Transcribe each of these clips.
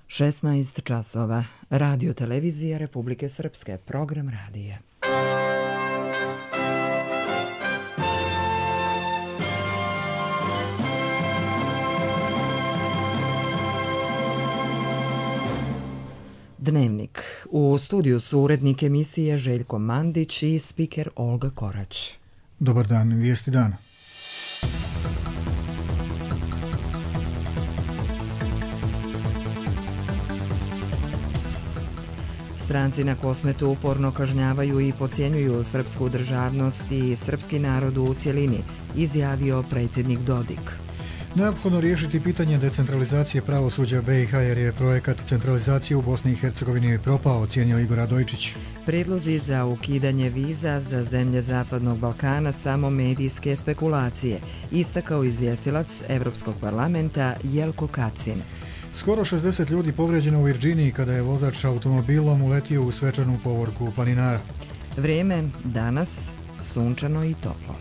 16 časova. Radio televizija Republike Srpske. Program radija. Dnevnik. U studiju su urednik emisije Željko Mandić i spiker Olga Korać. Dobar dan, vijesti dana. Stranci na Kosmetu uporno kažnjavaju i podcjenjuju srpsku državnost i srpski narod u cjelini, izjavio predsjednik Dodik. Neophodno riješiti pitanje decentralizacije pravosuđa BiH jer je projekat centralizacije u Bosni i Hercegovini propao, ocijenio Igor Radojčić. Prijedlozi za ukidanje viza za zemlje Zapadnog Balkana samo medijske spekulacije, istakao izvjestilac Evropskog parlamenta Jelko Kacin. Skoro 60 ljudi povrijeđeno u Virginiji kada je vozač automobilom uletio u svečanu povorku planinara. Vrijeme danas sunčano i toplo.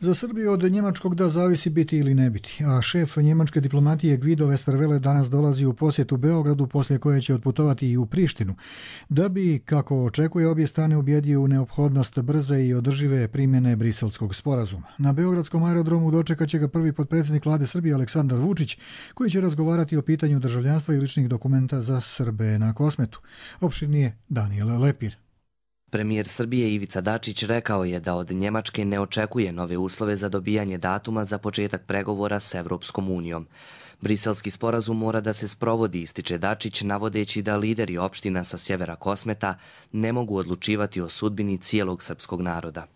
Za Srbiju od njemačkog da zavisi biti ili ne biti, a šef njemačke diplomatije Guido Westerwelle danas dolazi u posjetu Beogradu, poslije koje će otputovati i u Prištinu, da bi, kako očekuje, obje strane ubjedio u neophodnost brze i održive primjene Briselskog sporazuma. Na beogradskom aerodromu dočekat će ga prvi potpredsjednik vlade Srbije Aleksandar Vučić, koji će razgovarati o pitanju državljanstva i ličnih dokumenta za Srbe na Kosmetu. Opširnije Daniel Lepir. Premijer Srbije Ivica Dačić rekao je da od Njemačke ne očekuje nove uslove za dobijanje datuma za početak pregovora s Evropskom unijom. Briselski sporazum mora da se sprovodi, ističe Dačić, navodeći da lideri opština sa sjevera Kosmeta ne mogu odlučivati o sudbini cijelog srpskog naroda.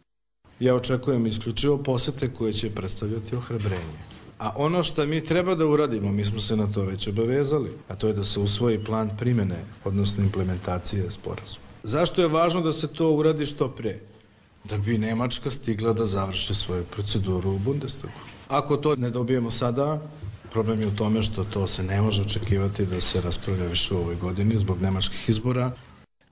Ja očekujem isključivo posete koje će predstavljati ohrabrenje. A ono što mi treba da uradimo, mi smo se na to već obavezali, a to je da se usvoji plan primjene, odnosno implementacije sporazuma. Zašto je važno da se to uradi što pre? Da bi Nemačka stigla da završi svoju proceduru u Bundestagu. Ako to ne dobijemo sada, problem je u tome što to se ne može očekivati da se raspravlja više u ovoj godini zbog nemačkih izbora.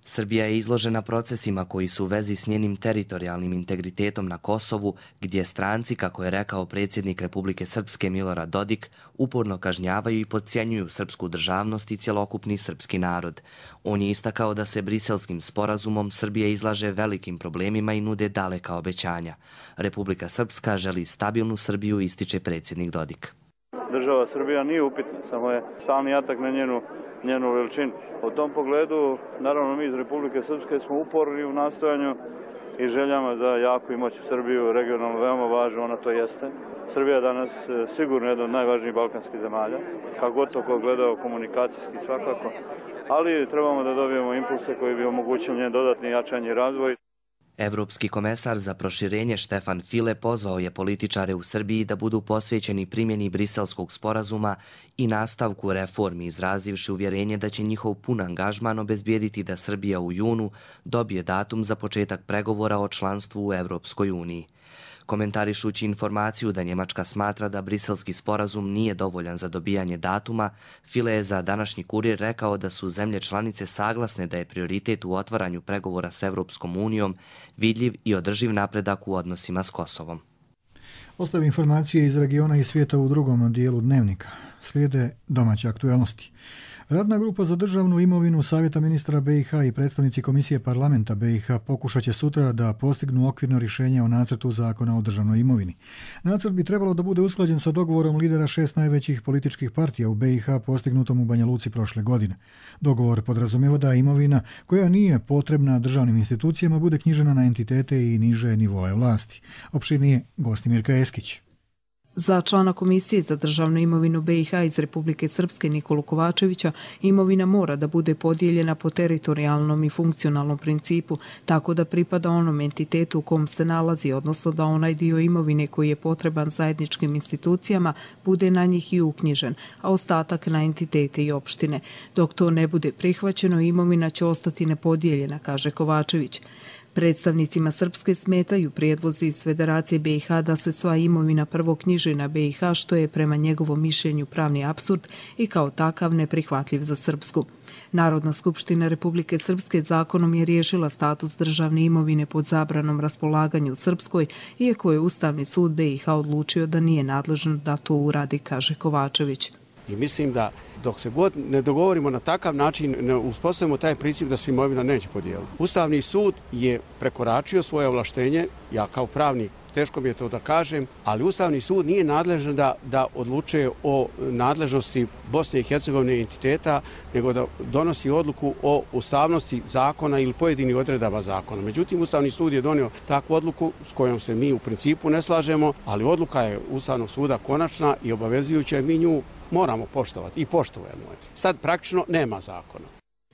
Srbija je izložena procesima koji su u vezi s njenim teritorijalnim integritetom na Kosovu, gdje stranci, kako je rekao predsjednik Republike Srpske Milorad Dodik, uporno kažnjavaju i podcjenjuju srpsku državnost i cjelokupni srpski narod. On je istakao da se Briselskim sporazumom Srbija izlaže velikim problemima i nude daleka obećanja. Republika Srpska želi stabilnu Srbiju, ističe predsjednik Dodik. Država Srbija nije upitna, samo je stalni atak na njenu veličinu. U tom pogledu, naravno, mi iz Republike Srpske smo uporni u nastojanju i željama za jaku i moćnu Srbiju, regionalno veoma važno, ona to jeste. Srbija je danas sigurno jedna od najvažnijih balkanskih zemalja, kako god to ko gledao komunikacijski svakako, ali trebamo da dobijemo impulse koji bi omogućili njen dodatni jačanje i razvoj. Evropski komesar za proširenje Štefan File pozvao je političare u Srbiji da budu posvećeni primjeni Briselskog sporazuma i nastavku reformi, izrazivši uvjerenje da će njihov pun angažman obezbijediti da Srbija u junu dobije datum za početak pregovora o članstvu u Evropskoj uniji. Komentarišući informaciju da Njemačka smatra da Briselski sporazum nije dovoljan za dobijanje datuma, File je za današnji Kurir rekao da su zemlje članice saglasne da je prioritet u otvaranju pregovora s Evropskom unijom vidljiv i održiv napredak u odnosima s Kosovom. Ostave informacije iz regiona i svijeta u drugom dijelu dnevnika. Slijede domaće aktuelnosti. Radna grupa za državnu imovinu Savjeta ministra BiH i predstavnici Komisije parlamenta BiH pokušat će sutra da postignu okvirno rješenje o nacrtu zakona o državnoj imovini. Nacrt bi trebalo da bude usklađen sa dogovorom lidera 6 najvećih političkih partija u BiH postignutom u Banja Luci prošle godine. Dogovor podrazumijeva da imovina koja nije potrebna državnim institucijama bude knjižena na entitete i niže nivoe vlasti. Opširnije Gostimirka Eskić. Za člana Komisije za državnu imovinu BiH iz Republike Srpske Nikolu Kovačevića imovina mora da bude podijeljena po teritorijalnom i funkcionalnom principu, tako da pripada onom entitetu u kom se nalazi, odnosno da onaj dio imovine koji je potreban zajedničkim institucijama bude na njih i uknjižen, a ostatak na entitete i opštine. Dok to ne bude prihvaćeno, imovina će ostati nepodijeljena, kaže Kovačević. Predstavnicima Srpske smetaju prijedlozi iz Federacije BiH da se sva imovina prvo knjiži na BiH, što je prema njegovom mišljenju pravni apsurd i kao takav neprihvatljiv za Srpsku. Narodna skupština Republike Srpske zakonom je riješila status državne imovine pod zabranom raspolaganju u Srpskoj, iako je Ustavni sud BiH odlučio da nije nadležan da to uradi, kaže Kovačević. I mislim da dok se god ne dogovorimo na takav način, ne uspostavimo taj princip da se imovina neće podijeliti. Ustavni sud je prekoračio svoje ovlaštenje, ja kao pravnik teško mi je to da kažem, ali Ustavni sud nije nadležan da odlučuje o nadležnosti Bosne i Hercegovine entiteta, nego da donosi odluku o ustavnosti zakona ili pojedinih odredaba zakona. Međutim, Ustavni sud je donio takvu odluku s kojom se mi u principu ne slažemo, ali odluka je Ustavnog suda konačna i obavezujuća i mi nju moramo poštovati i poštujemo. Sad praktično nema zakona.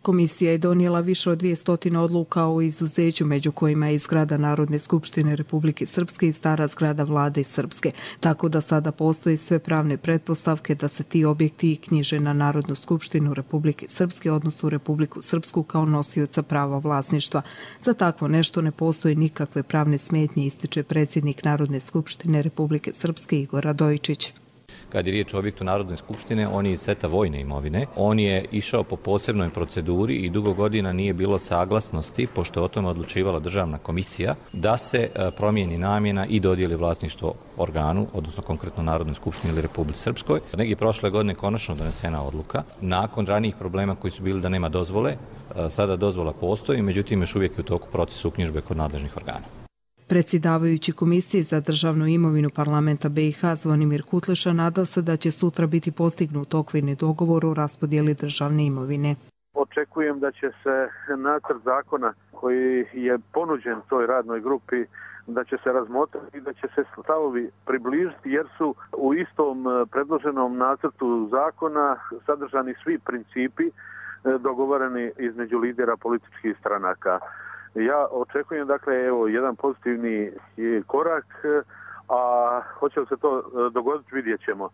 Komisija je donijela više od 200 odluka o izuzeću, među kojima je i zgrada Narodne skupštine Republike Srpske i stara zgrada Vlade Srpske, tako da sada postoji sve pravne pretpostavke da se ti objekti knjiže na Narodnu skupštinu Republike Srpske, odnosno Republiku Srpsku kao nosioca prava vlasništva. Za takvo nešto ne postoji nikakve pravne smetnje, ističe predsjednik Narodne skupštine Republike Srpske Igor Radojičić. Kad je riječ o objektu Narodne skupštine, on je iz seta vojne imovine. On je išao po posebnoj proceduri i dugo godina nije bilo saglasnosti, pošto je o tome odlučivala državna komisija, da se promijeni namjena i dodijeli vlasništvo organu, odnosno konkretno Narodnoj skupštini ili Republici Srpskoj. Negdje prošle godine konačno donesena odluka. Nakon ranijih problema koji su bili da nema dozvole, sada dozvola postoji, međutim još uvijek je u toku procesu uknjižbe kod nadležnih organa. Predsjedavajući Komisije za državnu imovinu Parlamenta BiH Zvonimir Kutleša nada se da će sutra biti postignut okvirni dogovor o raspodjeli državne imovine. Očekujem da će se nacrt zakona koji je ponuđen toj radnoj grupi da će se razmotriti i da će se stavovi približiti jer su u istom predloženom nacrtu zakona sadržani svi principi dogovoreni između lidera političkih stranaka. Ja očekujem jedan pozitivni korak, a hoće li se to dogoditi vidjet ćemo.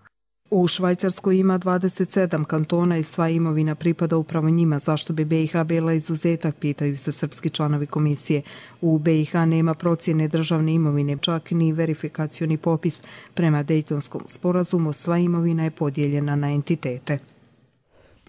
U Švajcarskoj ima 27 kantona i sva imovina pripada upravo njima. Zašto bi BiH bila izuzetak, pitaju se srpski članovi komisije. U BiH nema procjene državne imovine, čak ni verifikacioni popis. Prema Dejtonskom sporazumu sva imovina je podijeljena na entitete.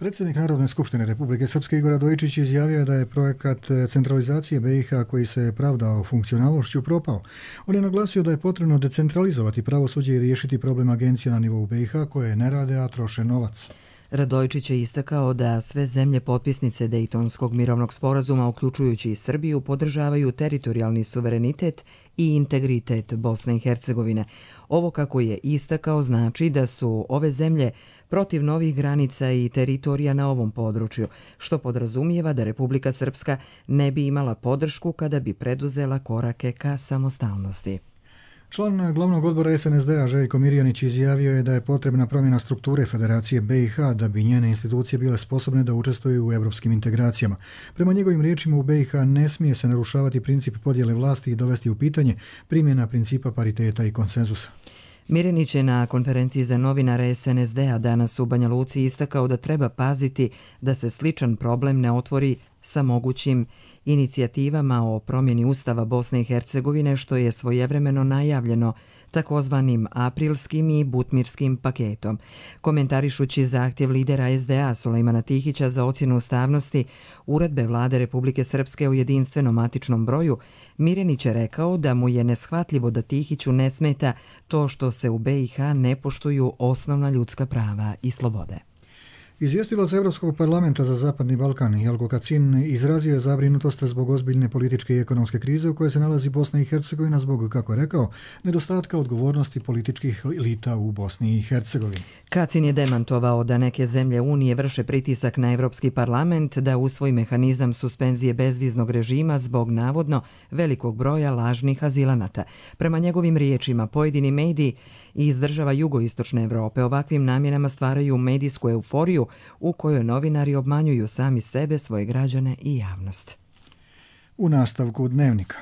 Predsjednik Narodne skupštine Republike Srpske Igor Radojičić izjavio je da je projekat centralizacije BiH koji se pravdao funkcionalnošću propao. On je naglasio da je potrebno decentralizovati pravosuđe i riješiti problem agencija na nivou BiH koje ne rade, a troše novac. Radojičić je istakao da sve zemlje potpisnice Dejtonskog mirovnog sporazuma, uključujući i Srbiju, podržavaju teritorijalni suverenitet i integritet Bosne i Hercegovine. Ovo, kako je istakao, znači da su ove zemlje protiv novih granica i teritorija na ovom području, što podrazumijeva da Republika Srpska ne bi imala podršku kada bi preduzela korake ka samostalnosti. Član glavnog odbora SNSD-a Željko Mirjanić izjavio je da je potrebna promjena strukture Federacije BiH da bi njene institucije bile sposobne da učestvuju u europskim integracijama. Prema njegovim riječima, u BiH ne smije se narušavati princip podjele vlasti i dovesti u pitanje primjena principa pariteta i konsenzusa. Mirjanić je na konferenciji za novinare SNSD-a danas u Banja Luci istakao da treba paziti da se sličan problem ne otvori sa mogućim inicijativama o promjeni Ustava Bosne i Hercegovine, što je svojevremeno najavljeno takozvanim aprilskim i butmirskim paketom. Komentarišući zahtjev lidera SDA Sulejmana Tihića za ocjenu ustavnosti uredbe Vlade Republike Srpske o jedinstvenom matičnom broju, Mirjanić je rekao da mu je neshvatljivo da Tihiću ne smeta to što se u BiH ne poštuju osnovna ljudska prava i slobode. Izvjestilac Evropskog parlamenta za Zapadni Balkan Jelko Kacin izrazio je zabrinutost zbog ozbiljne političke i ekonomske krize u kojoj se nalazi Bosna i Hercegovina zbog, kako je rekao, nedostatka odgovornosti političkih elita u Bosni i Hercegovini. Kacin je demantovao da neke zemlje Unije vrše pritisak na Evropski parlament da usvoji mehanizam suspenzije bezviznog režima zbog navodno velikog broja lažnih azilanata. Prema njegovim riječima, pojedini mediji iz država jugoistočne Evrope ovakvim namjenama stvaraju medijsku euforiju u kojoj novinari obmanjuju sami sebe, svoje građane i javnost. U nastavku Dnevnika.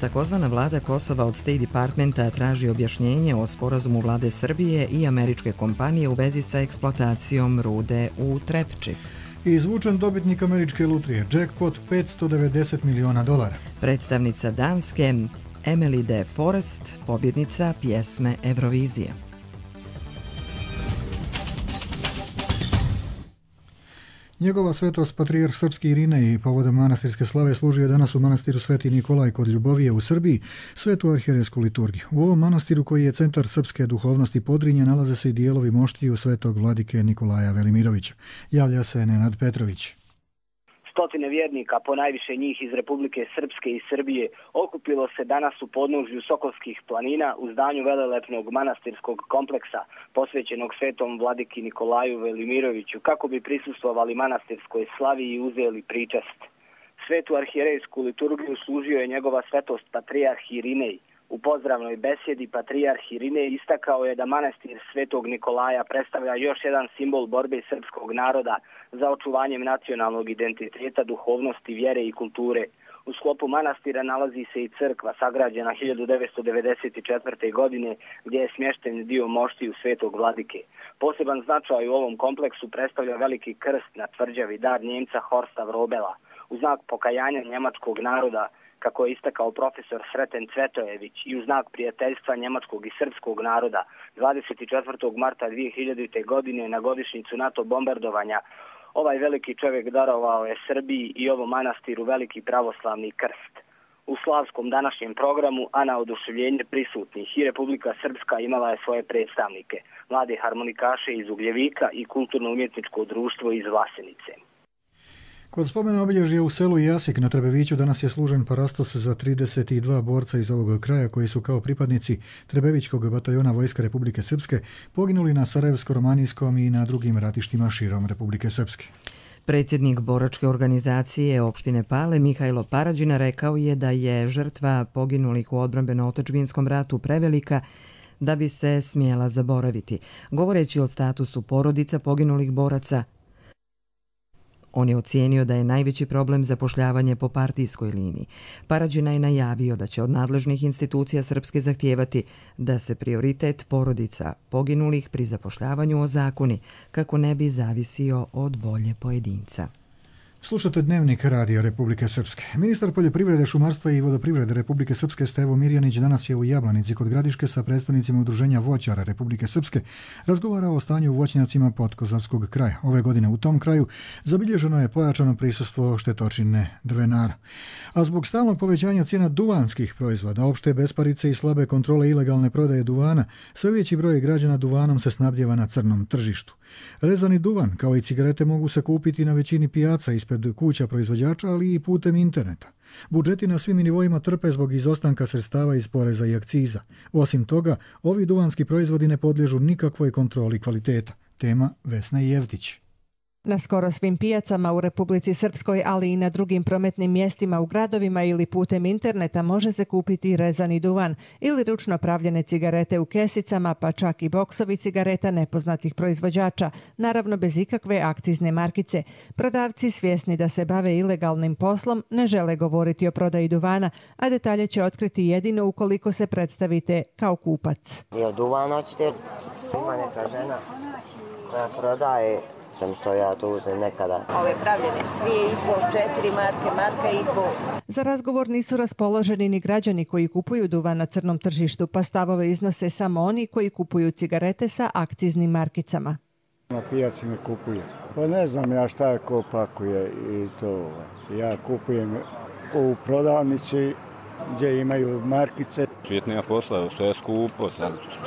Takozvana vlada Kosova od State Departmenta traži objašnjenje o sporazumu vlade Srbije i američke kompanije u vezi sa eksploatacijom rude u Trepči. I izvučen dobitnik američke lutrije, jackpot $590 miliona. Predstavnica Danske, Emily de Forest, pobjednica pjesme Eurovizije. Njegova svetost patrijarh srpski Irinej povodom manastirske slave služio je danas u manastiru Sveti Nikolaj kod Ljubovije u Srbiji svetu arhijerejsku liturgiju. U ovom manastiru koji je centar srpske duhovnosti Podrinja nalaze se i dijelovi moštiju svetog vladike Nikolaja Velimirovića. Javlja se Nenad Petrović. Stotine vjernika, ponajviše njih iz Republike Srpske i Srbije, okupilo se danas u podnožju Sokolskih planina u zdanju velelepnog manastirskog kompleksa posvećenog svetom vladiki Nikolaju Velimiroviću kako bi prisustvovali manastirskoj slavi i uzeli pričast. Svetu arhijerejsku liturgiju služio je njegova svetost patrijarh Irinej. U pozdravnoj besjedi patrijarh Irinej istakao je da manastir Svetog Nikolaja predstavlja još jedan simbol borbe srpskog naroda za očuvanjem nacionalnog identiteta, duhovnosti, vjere i kulture. U sklopu manastira nalazi se i crkva sagrađena 1994. godine gdje je smješten dio moštiju Svetog vladike. Poseban značaj u ovom kompleksu predstavlja veliki krst na tvrđavi, dar Njemca Horsta Vrobela. U znak pokajanja njemačkog naroda, kako je istakao profesor Sreten Cvetojević, i u znak prijateljstva njemačkog i srpskog naroda, 24. marta 2000. godine na godišnjicu NATO bombardovanja, ovaj veliki čovjek darovao je Srbiji i ovom manastiru veliki pravoslavni krst. U slavskom današnjem programu, a na oduševljenje prisutnih, i Republika Srpska imala je svoje predstavnike, mlade harmonikaše iz Ugljevika i kulturno-umjetničko društvo iz Vlasenice. Kod spomena obilježja u selu Jasik na Trebeviću danas je služen parastos za 32 borca iz ovog kraja koji su kao pripadnici Trebevićkog bataljona Vojske Republike Srpske poginuli na Sarajevsko-Romanijskom i na drugim ratištima širom Republike Srpske. Predsjednik boračke organizacije opštine Pale Mihajlo Parađina rekao je da je žrtva poginulih u odbrambeno-otadžbinskom ratu prevelika da bi se smjela zaboraviti. Govoreći o statusu porodica poginulih boraca, on je ocijenio da je najveći problem zapošljavanje po partijskoj liniji. Parađina je najavio da će od nadležnih institucija Srpske zahtijevati da se prioritet porodica poginulih pri zapošljavanju ozakoni kako ne bi zavisio od volje pojedinca. Slušate Dnevnik Radija Republike Srpske. Ministar poljoprivrede, šumarstva i vodoprivrede Republike Srpske Stevo Mirjanić danas je u Jablanici kod Gradiške sa predstavnicima Udruženja voćara Republike Srpske razgovarao o stanju u voćnjacima Podkozavskog kraja. Ove godine u tom kraju zabilježeno je pojačano prisustvo štetočine drvenara. A zbog stalnog povećanja cijena duvanskih proizvoda, opšte besparice i slabe kontrole ilegalne prodaje duvana, sve veći broj građana duvanom se snabdjeva na crnom tržištu. Rezani duvan, kao i cigarete, mogu se kupiti na većini pijaca ispred kuća proizvođača, ali i putem interneta. Budžeti na svim nivoima trpe zbog izostanka sredstava iz poreza i akciza. Osim toga, ovi duvanski proizvodi ne podliježu nikakvoj kontroli kvaliteta. Tema Vesna Jevtić. Na skoro svim pijacama u Republici Srpskoj, ali i na drugim prometnim mjestima u gradovima ili putem interneta može se kupiti rezani duvan ili ručno pravljene cigarete u kesicama, pa čak i boksovi cigareta nepoznatih proizvođača, naravno bez ikakve akcizne markice. Prodavci, svjesni da se bave ilegalnim poslom, ne žele govoriti o prodaji duvana, a detalje će otkriti jedino ukoliko se predstavite kao kupac. Jel duvan hoćete? Ima neka žena koja prodaje, sam što ja to uzem nekada. Ove pravljene 2,5, 4 marke, marka i pol. Za razgovor nisu raspoloženi ni građani koji kupuju duvan na crnom tržištu, pa stavove iznose samo oni koji kupuju cigarete sa akciznim markicama. Na pijaci ne kupujem. Pa ne znam ja šta je ko pakuje i to. Ja kupujem u prodavnici gdje imaju markice. Svijet nema posla, sve je skupo,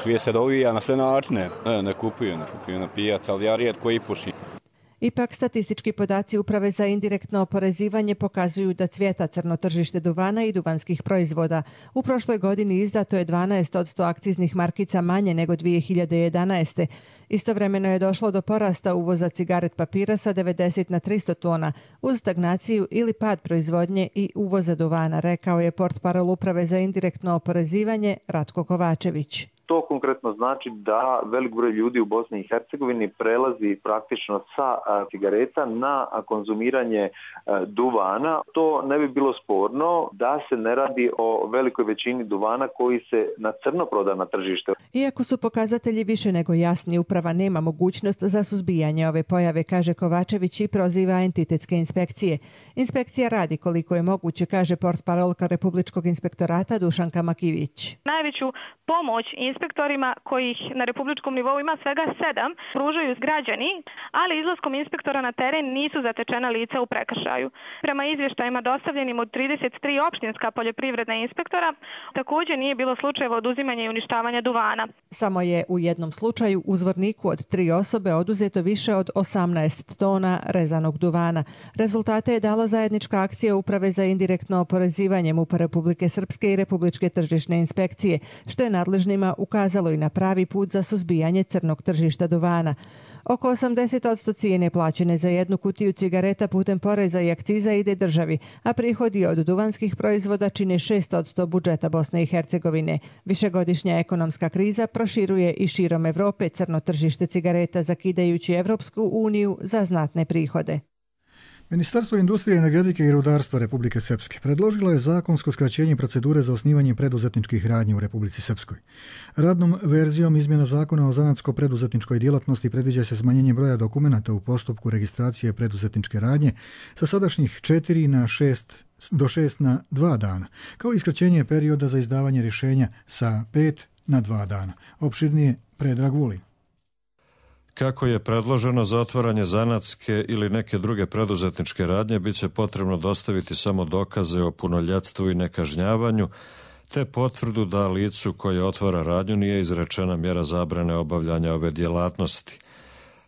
svijet se dovija na sve načine. Ne kupujem na pijac, ali ja rijetko i pušim. Ipak statistički podaci Uprave za indirektno oporezivanje pokazuju da cvjeta crno tržište duvana i duvanskih proizvoda. U prošloj godini izdato je 12% akciznih markica manje nego 2011. Istovremeno je došlo do porasta uvoza cigaret papira sa 90 na 300 tona uz stagnaciju ili pad proizvodnje i uvoza duvana, rekao je portparol Uprave za indirektno oporezivanje Ratko Kovačević. To konkretno znači da velik broj ljudi u Bosni i Hercegovini prelazi praktično sa cigareta na konzumiranje duvana. To ne bi bilo sporno da se ne radi o velikoj većini duvana koji se na crno proda na tržište. Iako su pokazatelji više nego jasni, uprava nema mogućnost za suzbijanje ove pojave, kaže Kovačević i proziva entitetske inspekcije. Inspekcija radi koliko je moguće, kaže portparolka Republičkog inspektorata Dušanka Makivić. Najveću pomoć inspektorima kojih na republičkom nivou ima svega 7 pružaju građani, ali izlaskom inspektora na teren nisu zatečena lica u prekršaju. Prema izvještajima dostavljenim od 33 opštinska poljoprivredna inspektora, također nije bilo slučajeva oduzimanja i uništavanja duvana. Samo je u jednom slučaju u Zvorniku od 3 osobe oduzeto više od 18 tona rezanog duvana. Rezultate je dala zajednička akcija Uprave za indirektno oporezivanje MUP-a Republike Srpske i Republičke tržišne inspekcije, što je nadležnima ukazalo i na pravi put za suzbijanje crnog tržišta duvana. Oko 80% cijene plaćene za jednu kutiju cigareta putem poreza i akciza ide državi, a prihodi od duvanskih proizvoda čine 6% budžeta Bosne i Hercegovine. Višegodišnja ekonomska kriza proširuje i širom Evrope crno tržište cigareta, zakidajući Evropsku uniju za znatne prihode. Ministarstvo industrije, energetike i rudarstva Republike Srpske predložilo je zakonsko skraćenje procedure za osnivanje preduzetničkih radnji u Republici Srpskoj. Radnom verzijom izmjena zakona o zanatsko-preduzetničkoj djelatnosti predviđa se smanjenje broja dokumenata u postupku registracije preduzetničke radnje sa sadašnjih 4 na 6 do 6 na 2 dana, kao i skraćenje perioda za izdavanje rješenja sa 5 na 2 dana. Opširnije Predrag Vulin. Kako je predloženo za otvaranje zanatske ili neke druge preduzetničke radnje, bit će potrebno dostaviti samo dokaze o punoljetstvu i nekažnjavanju, te potvrdu da licu koje otvara radnju nije izrečena mjera zabrane obavljanja ove djelatnosti.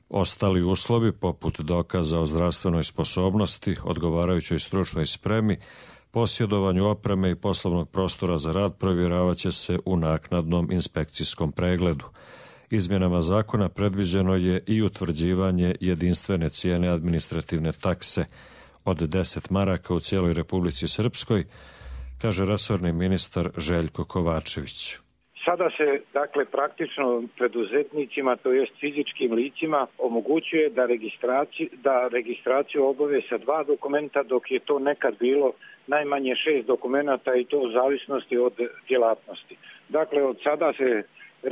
Ostali uslovi, poput dokaza o zdravstvenoj sposobnosti, odgovarajućoj stručnoj spremi, posjedovanju opreme i poslovnog prostora za rad, provjeravat će se u naknadnom inspekcijskom pregledu. Izmjenama zakona predviđeno je i utvrđivanje jedinstvene cijene administrativne takse od 10 maraka u cijeloj Republici Srpskoj, kaže resorni ministar Željko Kovačević. Sada se, praktično preduzetnicima, to jest fizičkim licima, omogućuje da registraciju obave sa 2 dokumenta, dok je to nekad bilo najmanje 6 dokumenata i to u zavisnosti od djelatnosti. Dakle, od sada se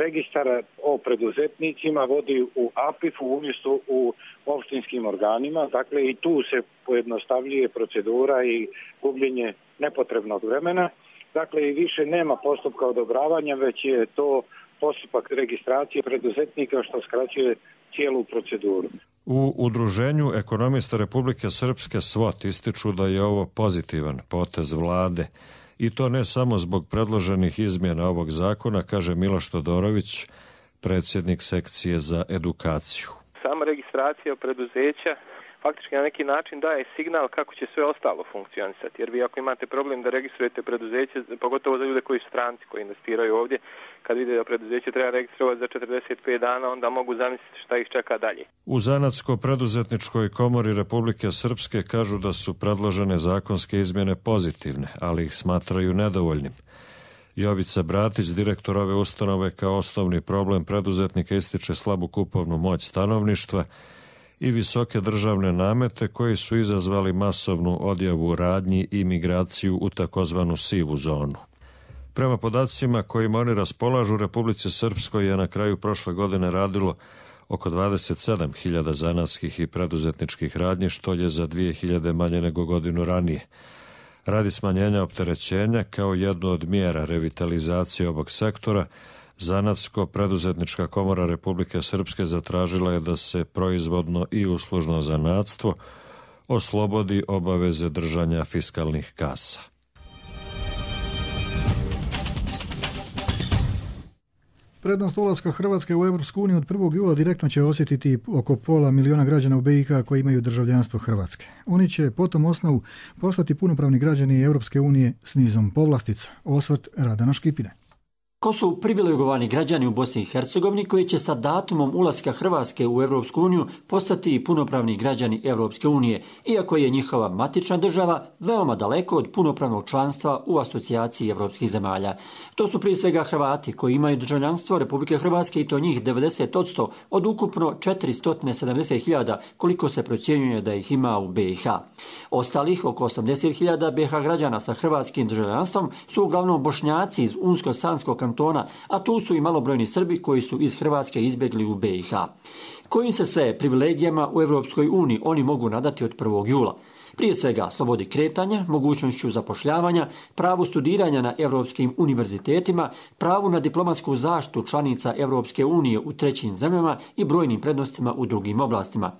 registar o preduzetnicima vodi u APIF-u umjesto u opštinskim organima. Dakle, i tu se pojednostavljuje procedura i gubljenje nepotrebnog vremena. Dakle, i više nema postupka odobravanja, već je to postupak registracije preduzetnika što skraćuje cijelu proceduru. U Udruženju ekonomista Republike Srpske SWOT ističu da je ovo pozitivan potez vlade. I to ne samo zbog predloženih izmjena ovog zakona, kaže Miloš Todorović, predsjednik sekcije za edukaciju. Sama registracija preduzeća faktički na neki način daje signal kako će sve ostalo funkcionisati. Jer vi ako imate problem da registrujete preduzeće, pogotovo za ljude koji su stranci, koji investiraju ovdje, kad vide da preduzeće treba registrovati za 45 dana, onda mogu zamisliti šta ih čeka dalje. U Zanatsko-preduzetničkoj komori Republike Srpske kažu da su predložene zakonske izmjene pozitivne, ali ih smatraju nedovoljnim. Jovica Bratić, direktor ove ustanove, kao osnovni problem preduzetnika ističe slabu kupovnu moć stanovništva i visoke državne namete koji su izazvali masovnu odjavu radnji i migraciju u takozvanu sivu zonu. Prema podacima kojima oni raspolažu, u Republici Srpskoj je na kraju prošle godine radilo oko 27.000 zanatskih i preduzetničkih radnji, što je za 2.000 manje nego godinu ranije. Radi smanjenja opterećenja kao jednu od mjera revitalizacije ovog sektora, Zanatsko-preduzetnička komora Republike Srpske zatražila je da se proizvodno i uslužno zanatstvo oslobodi obaveze držanja fiskalnih kasa. Prednost ulaska Hrvatske u Europsku uniju od 1. jula direktno će osjetiti oko 500.000 građana u BiH koji imaju državljanstvo Hrvatske. Oni će po tom osnovu postati punopravni građani Europske unije s nizom povlastica. Osvrt Radana Škipine. Ko su privilegovani građani u Bosni i Hercegovini koji će sa datumom ulaska Hrvatske u Europsku uniju postati punopravni građani Europske unije, iako je njihova matična država veoma daleko od punopravnog članstva u asocijaciji europskih zemalja. To su prije svega Hrvati koji imaju državljanstvo Republike Hrvatske i to njih 90% od ukupno 470.000 koliko se procjenjuje da ih ima u BiH. Ostalih oko 80.000 BiH građana sa hrvatskim državljanstvom su uglavnom Bošnjaci iz Unsko-Sanskog kantona, a tu su i malobrojni Srbi koji su iz Hrvatske izbjegli u BiH. Kojim se sve privilegijama u Europskoj uniji oni mogu nadati od 1. jula? Prije svega slobodi kretanja, mogućnošću zapošljavanja, pravu studiranja na europskim univerzitetima, pravu na diplomatsku zaštitu članica Europske unije u trećim zemljama i brojnim prednostima u drugim oblastima.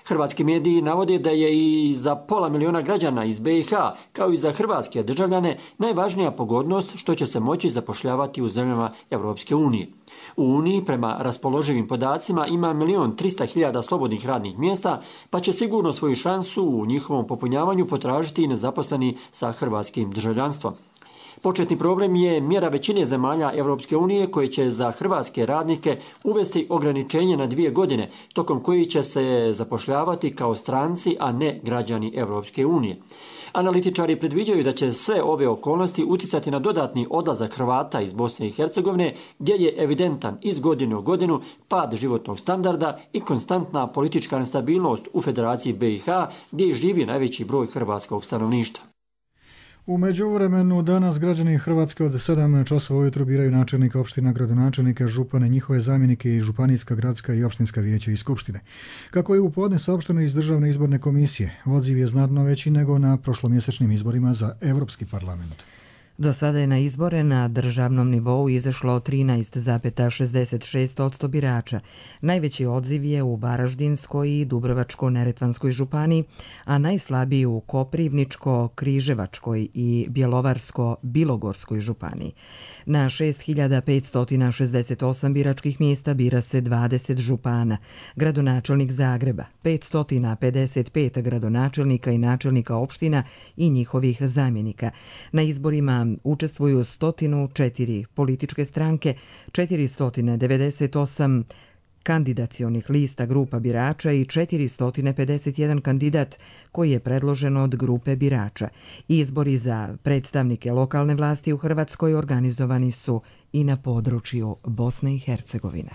Hrvatski mediji navode da je i za 500.000 građana iz BiH, kao i za hrvatske državljane, najvažnija pogodnost što će se moći zapošljavati u zemljama Europske unije. U Uniji, prema raspoloživim podacima, ima 1.300.000 slobodnih radnih mjesta, pa će sigurno svoju šansu u njihovom popunjavanju potražiti i nezaposleni sa hrvatskim državljanstvom. Početni problem je mjera većine zemalja Europske unije koje će za hrvatske radnike uvesti ograničenje na 2 godine, tokom koji će se zapošljavati kao stranci, a ne građani Europske unije. Analitičari predviđaju da će sve ove okolnosti uticati na dodatni odlazak Hrvata iz Bosne i Hercegovine, gdje je evidentan iz godine u godinu pad životnog standarda i konstantna politička nestabilnost u Federaciji BiH, gdje živi najveći broj hrvatskog stanovništva. U međuvremenu danas građani Hrvatske od 7 časova ujutro biraju načelnika opština, gradonačelnika, župane, njihove zamjenike i županijska, gradska i opštinska vijeća i skupštine. Kako je u podne saopšteno iz Državne izborne komisije, odziv je znatno veći nego na prošlomjesečnim izborima za Europski parlament. Do sada je na izbore na državnom nivou izašlo 13,66% birača. Najveći odziv je u Varaždinskoj i Dubrovačko-neretvanskoj županiji, a najslabiji u Koprivničko-križevačkoj i Bjelovarsko-bilogorskoj županiji. Na 6.568 biračkih mjesta bira se 20 župana, gradonačelnik Zagreba, 555 gradonačelnika i načelnika opština i njihovih zamjenika. Na izborima učestvuju 104 političke stranke, 498 kandidacionih lista grupa birača i 451 kandidat koji je predložen od grupe birača. Izbori za predstavnike lokalne vlasti u Hrvatskoj organizovani su i na području Bosne i Hercegovine.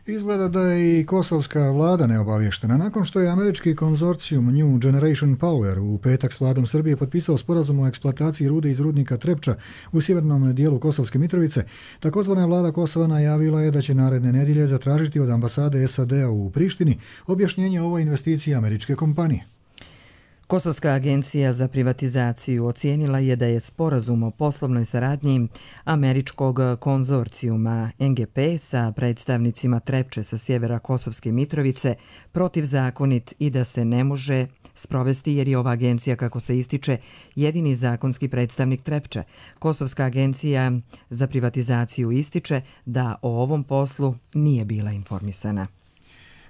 Izgleda da je i kosovska vlada neobavještena. Nakon što je američki konzorcijum New Generation Power u petak s vladom Srbije potpisao sporazum o eksploataciji rude iz rudnika Trepča u sjevernom dijelu Kosovske Mitrovice, takozvana vlada Kosova najavila je da će naredne nedjelje zatražiti od ambasade SAD-a u Prištini objašnjenje o ovoj investiciji američke kompanije. Kosovska agencija za privatizaciju ocijenila je da je sporazum o poslovnoj saradnji američkog konzorcijuma NGP sa predstavnicima Trepče sa sjevera Kosovske Mitrovice protivzakonit i da se ne može sprovesti jer je ova agencija, kako se ističe, jedini zakonski predstavnik Trepče. Kosovska agencija za privatizaciju ističe da o ovom poslu nije bila informisana.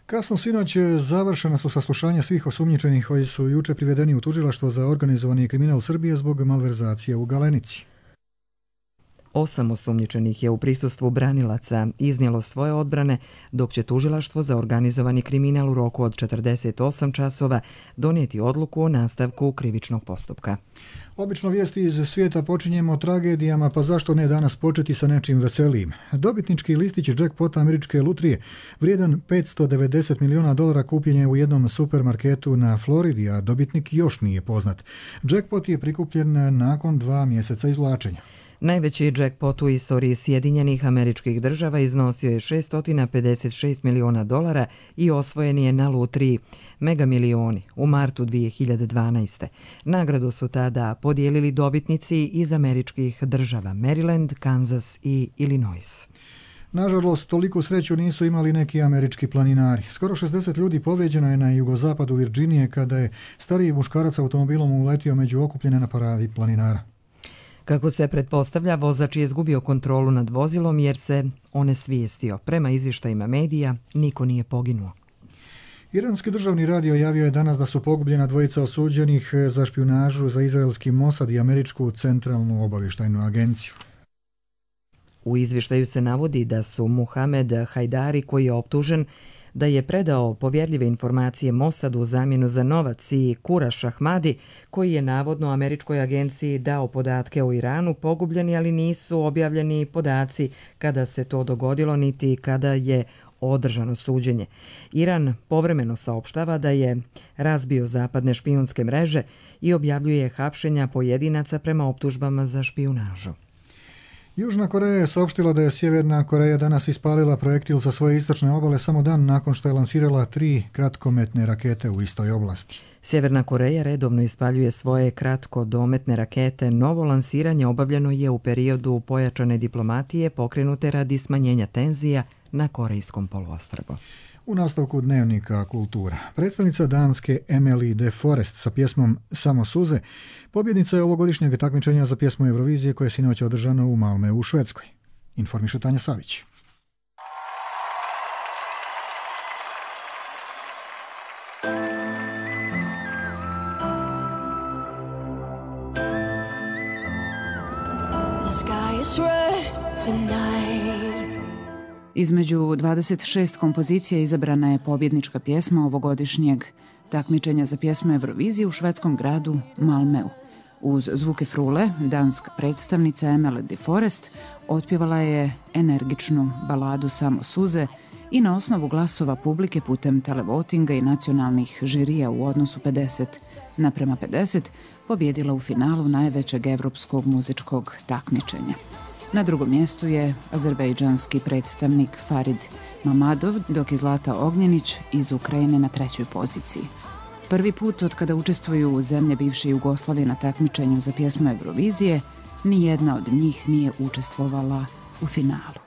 Kasno sinoć završena su saslušanja svih osumnjičenih koji su juče privedeni u tužilaštvo za organizovani kriminal Srbije zbog malverzacije u Galenici. 8 osumnjičenih je u prisustvu branilaca iznijelo svoje odbrane, dok će tužilaštvo za organizovani kriminal u roku od 48 časova donijeti odluku o nastavku krivičnog postupka. Obično vijesti iz svijeta počinjemo tragedijama, pa zašto ne danas početi sa nečim veselijim. Dobitnički listić jackpota američke lutrije, vrijedan $590 milijuna, kupljen je u jednom supermarketu na Floridi, a dobitnik još nije poznat. Jackpot je prikupljen nakon 2 mjeseca izvlačenja. Najveći jackpot u istoriji Sjedinjenih Američkih Država iznosio je $656 milijuna i osvojen je na lutriji Mega Milioni u martu 2012. Nagradu su tada podijelili dobitnici iz američkih država Maryland, Kansas i Illinois. Nažalost, toliku sreću nisu imali neki američki planinari. Skoro 60 ljudi povrijeđeno je na jugozapadu Virginije kada je stariji muškarac automobilom uletio među okupljene na paradi planinara. Kako se pretpostavlja, vozač je izgubio kontrolu nad vozilom jer se onesvijestio. Prema izvještajima medija, niko nije poginuo. Iranski državni radio javio je danas da su pogubljena 2 osuđenih za špijunažu za izraelski Mossad i američku centralnu obavještajnu agenciju. U izvještaju se navodi da su Muhamed Hajdari, koji je optužen da je predao povjerljive informacije Mosadu u zamjenu za novac, i Kuraš Ahmadi, koji je navodno američkoj agenciji dao podatke o Iranu, pogubljeni, ali nisu objavljeni podaci kada se to dogodilo niti kada je održano suđenje. Iran povremeno saopštava da je razbio zapadne špijunske mreže i objavljuje hapšenja pojedinaca prema optužbama za špijunažu. Južna Koreja je saopštila da je Sjeverna Koreja danas ispalila projektil sa svoje istočne obale samo dan nakon što je lansirala 3 kratkometne rakete u istoj oblasti. Sjeverna Koreja redovno ispaljuje svoje kratkodometne rakete. Novo lansiranje obavljeno je u periodu pojačane diplomatije pokrenute radi smanjenja tenzija na Korejskom poluostrvu. U nastavku Dnevnika kultura. Predstavnica Danske Emily de Forest sa pjesmom Samo suze pobjednica je ovogodišnjeg takmičenja za pjesmu Eurovizije koje je sinoć održano u Malmeu u Švedskoj. Informiše Tanja Savić. The sky is red tonight. Između 26 kompozicija izabrana je pobjednička pjesma ovogodišnjeg takmičenja za pjesmu Eurovizije u švedskom gradu Malmeu. Uz zvuke frule, danska predstavnica Emily de Forest otpjevala je energičnu baladu Samo suze i na osnovu glasova publike putem televotinga i nacionalnih žirija u odnosu 50:50 pobjedila u finalu najvećeg evropskog muzičkog takmičenja. Na drugom mjestu je azerbejdžanski predstavnik Farid Mamadov, dok je Zlata Ognjenić iz Ukrajine na 3. poziciji. Prvi put od kada učestvuju zemlje bivše Jugoslavije na takmičenju za pjesmu Eurovizije, ni jedna od njih nije učestvovala u finalu.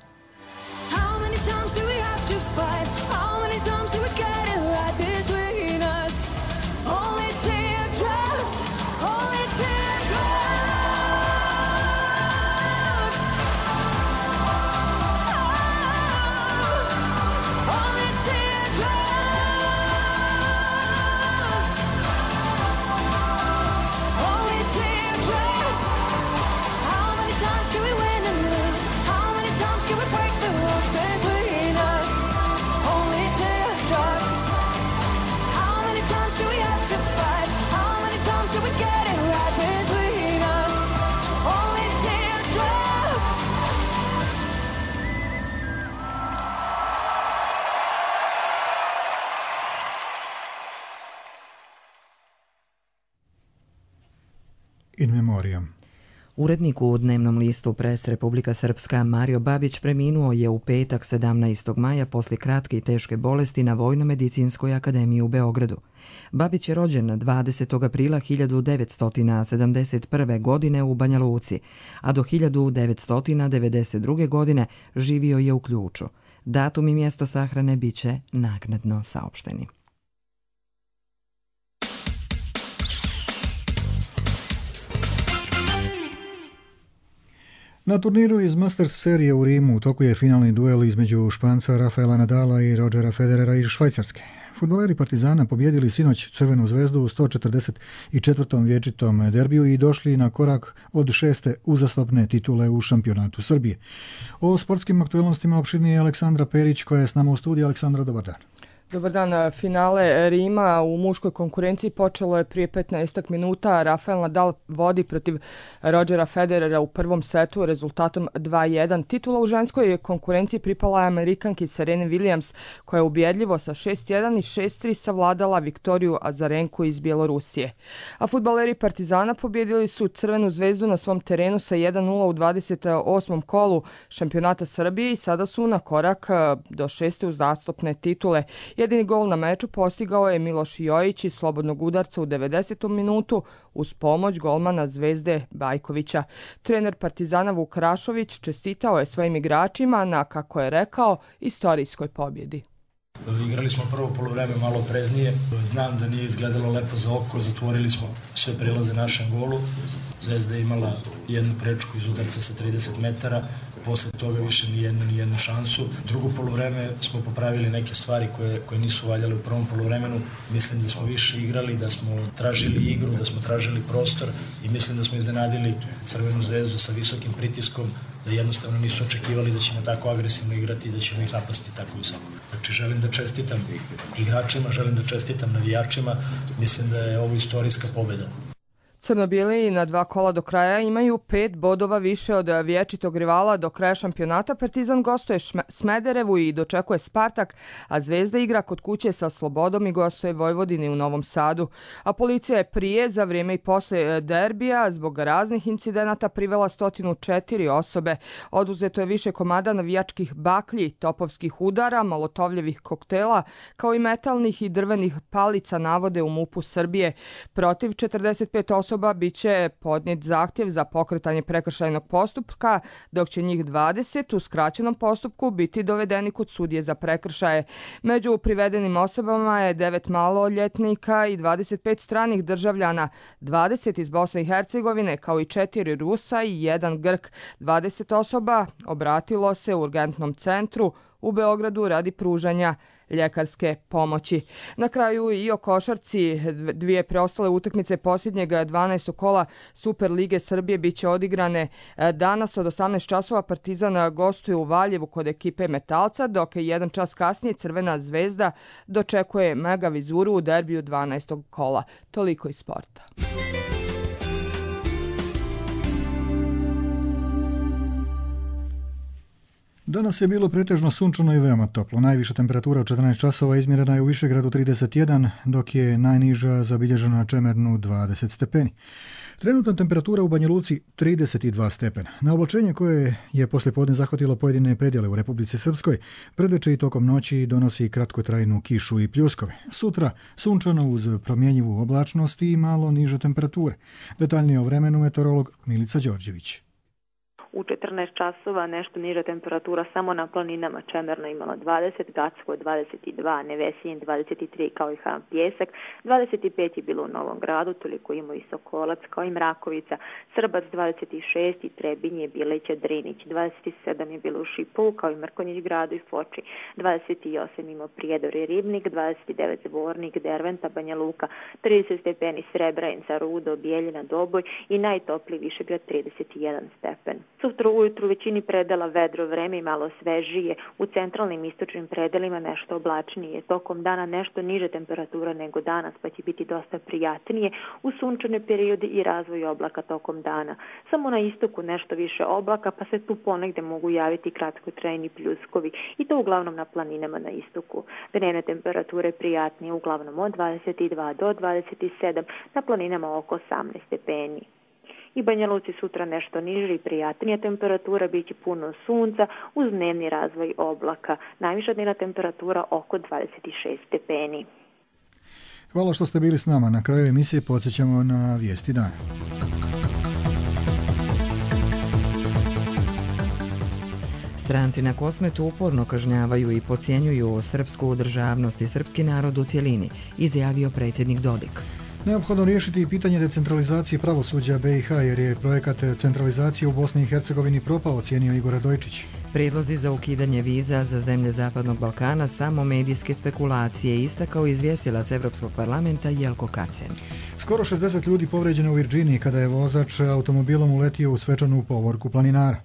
In memoriam. Urednik u dnevnom listu Pres Republika Srpska Mario Babić preminuo je u petak 17. maja poslije kratke i teške bolesti na Vojno-medicinskoj akademiji u Beogradu. Babić je rođen 20. aprila 1971. godine u Banja Luci, a do 1992. godine živio je u Ključu. Datum i mjesto sahrane biće naknadno saopšteni. Na turniru iz Masters serije u Rimu u toku je finalni duel između Španca Rafaela Nadala i Rodgera Federera iz Švajcarske. Fudbaleri Partizana pobjedili sinoć Crvenu zvezdu u 144. vječitom derbiju i došli na korak od 6. uzastopne titule u šampionatu Srbije. O sportskim aktualnostima opširnije je Aleksandra Perić koja je s nama u studiju. Aleksandra, dobar dan. Dobar dan. Finale Rima u muškoj konkurenciji počelo je prije 15 minuta. Rafael Nadal vodi protiv Rodgera Federera u prvom setu rezultatom 2:1. Titula u ženskoj konkurenciji pripala je Amerikanki Sereni Williams koja je ubjedljivo sa 6:1 i 6:3 savladala Viktoriju Azarenku iz Bjelorusije. A fudbaleri Partizana pobjedili su Crvenu zvezdu na svom terenu sa 1:0 u 28. kolu šampionata Srbije i sada su na korak do 6. uzastopne titule. Jedini gol na meču postigao je Miloš Jojić iz slobodnog udarca u 90. minutu uz pomoć golmana Zvezde Bajkovića. Trener Partizana Vuk Rašović čestitao je svojim igračima na, kako je rekao, istorijskoj pobjedi. Igrali smo prvo poluvreme malo opreznije. Znam da nije izgledalo lepo za oko, zatvorili smo sve prelaze našem golu. Zvezda je imala jednu prečku iz udarca sa 30 metara. posle toga više ni jednu šansu. Drugo poluvreme smo popravili neke stvari koje nisu valjale u prvom poluvremenu. Mislim da smo više igrali, da smo tražili igru, da smo tražili prostor i mislim da smo iznenadili Crvenu zvezdu sa visokim pritiskom, da jednostavno nisu očekivali da ćemo tako agresivno igrati i da ćemo ih napasti tako visoko. Znači želim da čestitam igračima, želim da čestitam navijačima, mislim da je ovo istorijska pobjeda. Crno-bijeli na 2 kola do kraja imaju 5 bodova više od vječitog rivala do kraja šampionata. Partizan gostuje Smederevu i dočekuje Spartak, a Zvezda igra kod kuće sa Slobodom i gostuje Vojvodini u Novom Sadu. A policija je prije, za vrijeme i posle derbija, zbog raznih incidenata privela 104 osobe. Oduzeto je više komada navijačkih baklji, topovskih udara, molotovljevih koktela, kao i metalnih i drvenih palica, navode u MUP-u Srbije. Protiv 45 osoba biće podnijet zahtjev za pokretanje prekršajnog postupka, dok će njih 20 u skraćenom postupku biti dovedeni kod sudije za prekršaje. Među privedenim osobama je 9 maloljetnika i 25 stranih državljana, 20 iz Bosne i Hercegovine, kao i 4 Rusa i 1 Grk. 20 osoba obratilo se u urgentnom centru u Beogradu radi pružanja ljekarske pomoći. Na kraju i o košarci, 2 preostale utakmice posljednjeg 12. kola Super lige Srbije biće odigrane danas od 18 časova. Partizan gostuje u Valjevu kod ekipe Metalca, dok je 1 čas kasnije Crvena zvezda dočekuje Mega Vizuru u derbiju 12. kola. Toliko iz sporta. Danas je bilo pretežno sunčano i veoma toplo. Najviša temperatura u 14 časova izmjerena je u Višegradu 31, dok je najniža zabilježena na Čemernu 20 stepeni. Trenutna temperatura u Banja Luci 32 stepena. Na oblačenje koje je poslijepodne zahvatilo pojedine predjele u Republici Srpskoj, predveče i tokom noći donosi kratkotrajnu kišu i pljuskove. Sutra sunčano uz promjenjivu oblačnost i malo niže temperature. Detaljnije o vremenu meteorolog Milica Đorđević. U 14 časova nešto niža temperatura samo na planinama. Čemerna imala 20, Gacko 22, Nevesinje 23 kao i Ham Pjesak, 25 je bilo u Novom Gradu, toliko ima i Sokolac kao i Mrakovica, Srbac 26 i Trebinje, Bileća, Drinić, 27 je bilo u Šipovu kao i Mrkonjić Gradu i Foči, 28 ima Prijedor i Ribnik, 29 Zvornik, Derventa, Banja Luka, 30 stepeni Srebrajinca, Rudo, Bijeljina, Doboj i najtopliji Višegrad 31 stepen. Sutra ujutru u većini predela vedro vreme i malo svežije, u centralnim istočnim predelima nešto oblačnije. Tokom dana nešto niže temperatura nego danas, pa će biti dosta prijatnije u sunčane periode i razvoj oblaka tokom dana. Samo na istoku nešto više oblaka, pa se tu ponegde mogu javiti kratkotrajni pljuskovi i to uglavnom na planinama na istoku. Dnevne temperature prijatnije uglavnom od 22 do 27, na planinama oko 18 stepeni. I Banja Luci sutra nešto niže i prijatnija temperatura, bit će puno sunca uz dnevni razvoj oblaka. Najviša dnevna temperatura oko 26 stepeni. Hvala što ste bili s nama. Na kraju emisije podsjećamo na vijesti dana. Stranci na Kosmetu uporno kažnjavaju i podcjenjuju srpsku državnost i srpski narod u cjelini, izjavio predsjednik Dodik. Neophodno riješiti i pitanje decentralizacije pravosuđa BiH jer je projekat centralizacije u Bosni i Hercegovini propao, ocijenio Igor Radojčić. Prijedlozi za ukidanje viza za zemlje Zapadnog Balkana samo medijske spekulacije, istakao izvjestilac Evropskog parlamenta Jelko Kacen. Skoro 60 ljudi povređeno u Virginiji kada je vozač automobilom uletio u svečanu povorku planinara.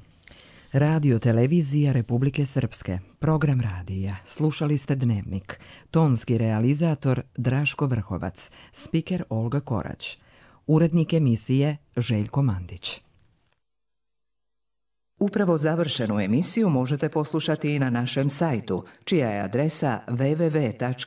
Radio televizija Republike Srpske. Program radija. Slušali ste Dnevnik. Tonski realizator Draško Vrhovac. Spiker Olga Korać. Urednik emisije Željko Mandić. Upravo završenu emisiju možete poslušati i na našem sajtu, čija je adresa www.rtrs.tv.